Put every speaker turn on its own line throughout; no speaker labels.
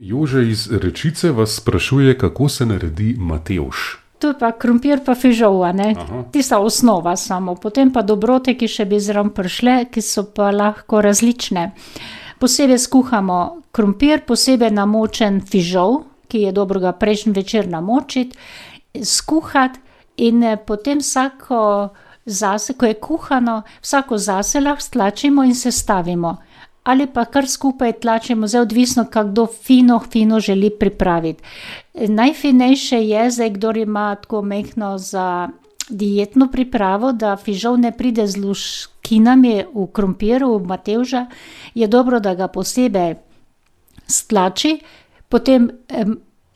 Jože iz Rečice vas sprašuje, kako se naredi matevž.
Tu je pa krompir pa fižol, a ne?
Aha.
Tista osnova samo. Potem pa dobrote, ki še bi zraven prišle, ki so pa lahko različne. Posebej skuhamo krompir, posebej namočen fižol, ki je dobro ga prejšnji večer namočiti, skuhati in potem vsako zase, ko je kuhano, vsako zase lahko stlačimo in sestavimo. Ali pa kar skupaj tlačimo, zdaj odvisno, kdo fino želi pripraviti. Najfinejše je, zdaj kdor ima tako majhno za dietno pripravo, da fižol ne pride z luškinami v krompiru, v matevža, je dobro, da ga posebej stlači, potem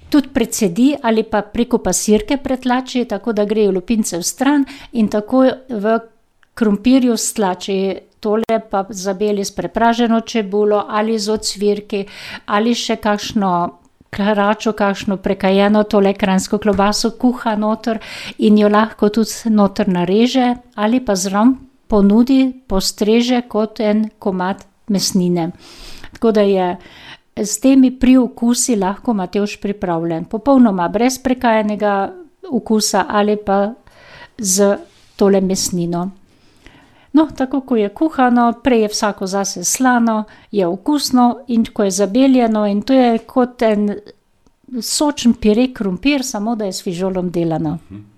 tudi precedi ali pa preko pasirke pretlači, tako da grejo lupince vstran in tako v krompirju stlači. Tole pa zabeli s prepraženo čebulo ali z ocvirki ali še kakšno karačo, kakšno prekajeno tole kranjsko klobaso kuha noter in jo lahko tudi noter nareže ali pa zraven ponudi, postreže kot en komad mesnine. Tako da je s temi priokusi lahko matevž pripravljen. Popolnoma brez prekajenega okusa ali pa z tole mesnino. No, tako ko je kuhano, prej je vsako zase slano, je okusno in ko je zabeljeno in to je kot en sočen pire krompir, samo da je s fižolom delano.